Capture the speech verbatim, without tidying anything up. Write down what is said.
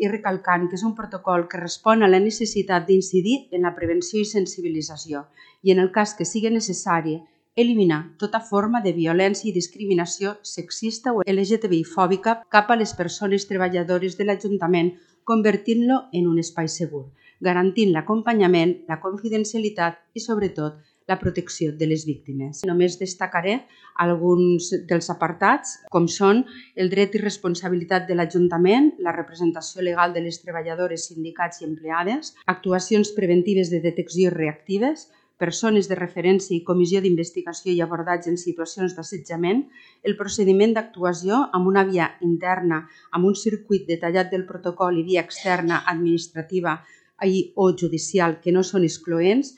i recalcant que és un protocol que respon a la necessitat d'incidir en la prevenció i sensibilització i, en el cas que sigui necessari, eliminar tota forma de violència i discriminació sexista o L G T B I fòbica cap a les persones treballadores de l'Ajuntament, convertint-lo en un espai segur, garantint l'acompanyament, la confidencialitat i, sobretot, la protecció de les víctimes. Només destacaré alguns dels apartats, com són el dret i responsabilitat de l'Ajuntament, la representació legal de les treballadores, sindicats i empleades, actuacions preventives de detecció i reactives, persones de referència i comissió d'investigació i abordatge en situacions d'assetjament, el procediment d'actuació amb una via interna, amb un circuit detallat del protocol i via externa, administrativa i o judicial que no són excloents,